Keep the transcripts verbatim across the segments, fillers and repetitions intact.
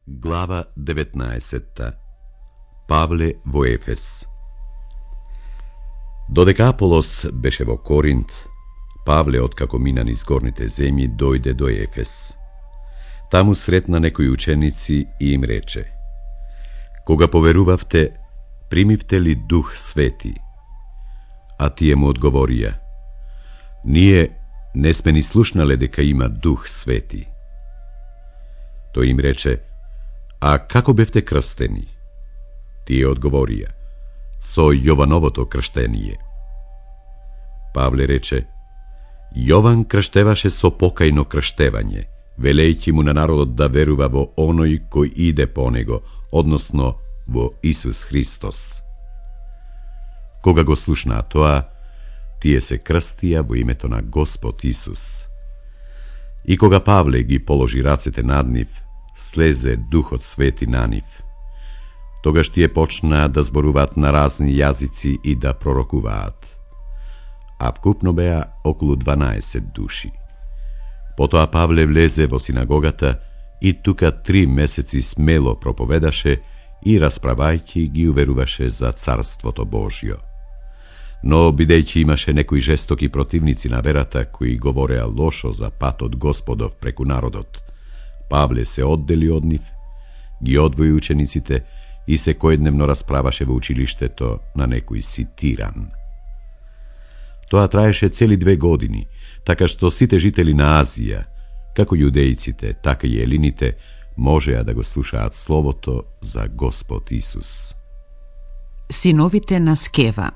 Глава деветнаесетта. Павле во Ефес. Додека Аполос беше во Коринт, Павле, откако мина низ горните земји, дојде до Ефес. Таму сретна некои ученици и им рече: Кога поверувавте, примивте ли Дух Свети? А тие му одговорија: Ние не сме ни слушнале дека има Дух Свети. Тој им рече: А како бевте крстени? Тие одговорија: Со Јовановото крштение. Павле рече: Јован крштеваше со покајно крштевање, велејќи му на народот да верува во оној кој иде по него, односно во Исус Христос. Кога го слушнаа тоа, тие се крстија во името на Господ Исус. И кога Павле ги положи рацете над нив, слезе Духот Свети на нив. Тогаш тие почнаа да зборуваат на разни јазици и да пророкуваат. А вкупно беа околу дванаесет души. Потоа Павле влезе во синагогата и тука три месеци смело проповедаше и расправајќи ги уверуваше за Царството Божјо. Но бидејќи имаше некои жестоки противници на верата кои говореа лошо за патот Господов преку народот, Павле се оддели од нив, ги одвои учениците и секојдневно расправаше во училиштето на некој си тиран. Тоа траеше цели две години, така што сите жители на Азија, како јудејците, така и елините, можеа да го слушаат словото за Господ Исус. Синовите на Скева.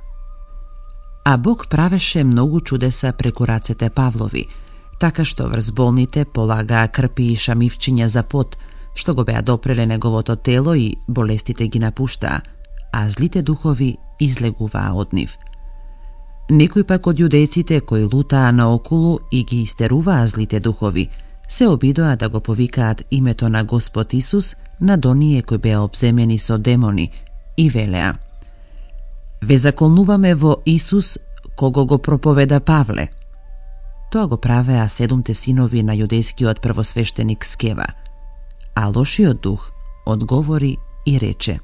А Бог правеше многу чудеса преку рацете Павлови, така што врз болните полагаа крпи и шамивчиња за пот, што го беа допреле неговото тело и болестите ги напуштаа, а злите духови излегуваа од нив. Некои пак од јудејците кои лутаа наоколу и ги истеруваа злите духови, се обидоа да го повикаат името на Господ Исус над оние кои беа обземени со демони и велеа: Ве заколнуваме во Исус, кого го проповеда Павле. Тоа го правеа седумте синови на јудејскиот првосвештеник Скева. А лошиот дух одговори и рече: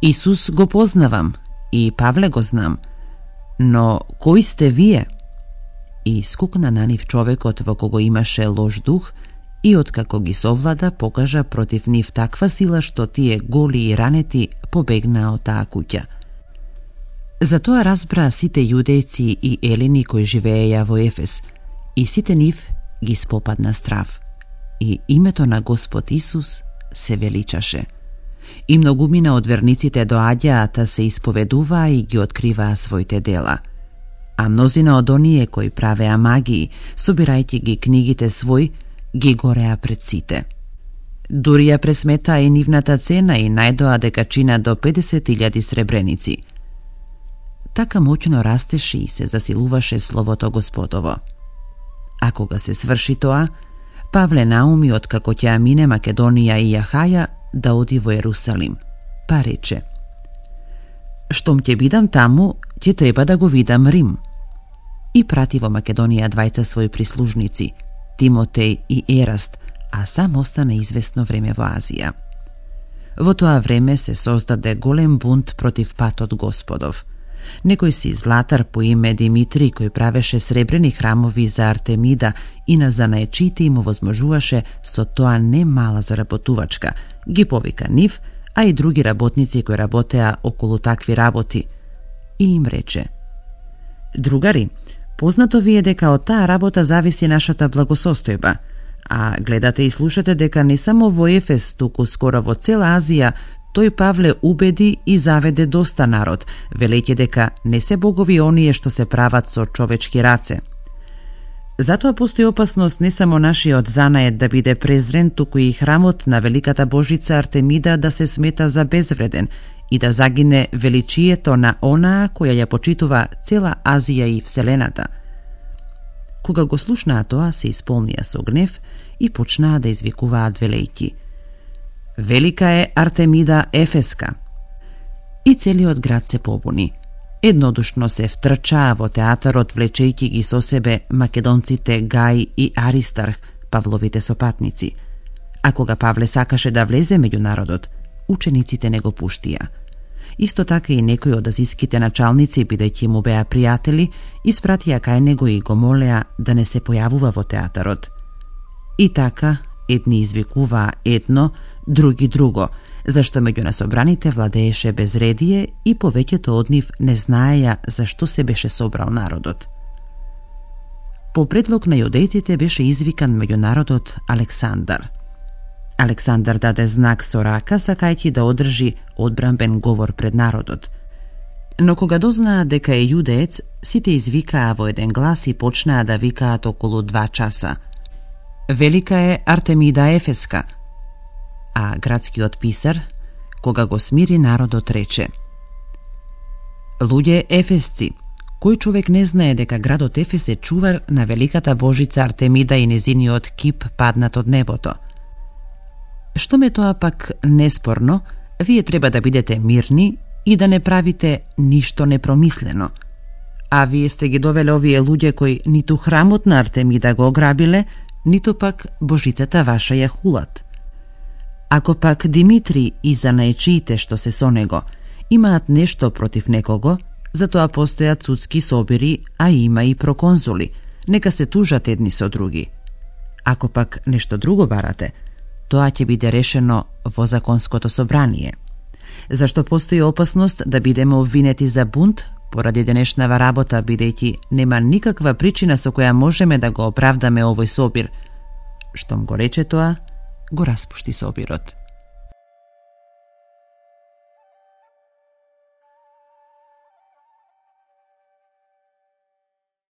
Исус го познавам и Павле го знам, но кои сте вие? И скукна на нив човекот во кого имаше лош дух и откако ги совлада, покажа против нив таква сила што тие голи и ранети побегнаа од таа куќа. Затоа разбраа сите јудејци и елини кои живееја во Ефес, и сите нив ги спопадна страв, и името на Господ Исус се величаше. И многумина од верниците доаѓаа да се исповедуваа и ги откриваа своите дела. А мнозина од оние кои правеа магии, собирајќи ги книгите свој, ги гореа пред сите. Дури ја пресметаа и нивната цена и најдоа дека чина до педесет илјади сребреници. Така моќно растеше и се засилуваше словото Господово. А кога се сврши тоа, Павле науми откако ќе мине Македонија и Јахаја да оди во Ерусалим, па рече: Штом ќе бидам таму, ќе треба да го видам Рим. И прати во Македонија двајца своји прислужници, Тимотеј и Ераст, а сам остана известно време во Азија. Во тоа време се создаде голем бунт против патот Господов. Некој си златар по име Димитри, кој правеше сребрени храмови за Артемида и на занаечите им овозможуваше со тоа не мала заработувачка, ги повика нив, а и други работници кои работеа околу такви работи, и им рече: Другари, познато ви е дека од таа работа зависи нашата благосостојба, а гледате и слушате дека не само во Ефес, туку скоро во цела Азија, тој Павле убеди и заведе доста народ, велејќи дека не се богови оние што се прават со човечки раце. Затоа постои опасност не само нашиот занаед да биде презрен, туку и храмот на великата божица Артемида да се смета за безвреден и да загине величието на онаа која ја почитува цела Азија и Вселената. Кога го слушнаа тоа, се исполнија со гнев и почнаа да извикуваат велејќи: Велика е Артемида Ефеска. И целиот град се побуни. Еднодушно се втрчаа во театарот, влечејќи ги со себе македонците Гај и Аристарх, Павловите сопатници, А кога Павле сакаше да влезе меѓу народот, учениците не го пуштија. Исто така и некои од азиските началници, бидејќи му беа пријатели, испратија кај него и го молеа да не се појавува во театарот. И така, едни извикуваа едно, други друго, зашто меѓу насобраните владееше безредие и повеќето од нив не знаеја зашто се беше собрал народот. По предлог на јудејците беше извикан меѓу народот Александар. Александар даде знак со рака, сакајќи да одржи одбранбен говор пред народот. Но кога дознаа дека е јудеец, сите извикаа во еден глас и почнаа да викаат околу два часа: "Велика е Артемида Ефеска." А градскиот писар, кога го смири народот, рече: "Луѓе ефесци, кој човек не знае дека градот Ефес е чувар на великата божица Артемида и незиниот кип паднат од небото? Што ме тоа пак неспорно, вие треба да бидете мирни и да не правите ништо непромислено. А вие сте ги довеле овие луѓе кои ниту храмот на Артемида го ограбиле, ниту пак божицата ваша ја хулат. Ако пак Димитри и занаечиите што се со него имаат нешто против некого, затоа постојат судски собири, а има и проконзули, нека се тужат едни со други. Ако пак нешто друго барате, тоа ќе биде решено во законското собрание. Зашто постои опасност да бидеме обвинети за бунт поради денешнава работа, бидејќи нема никаква причина со која можеме да го оправдаме овој собир." Штом го рече тоа, го распушти собирот.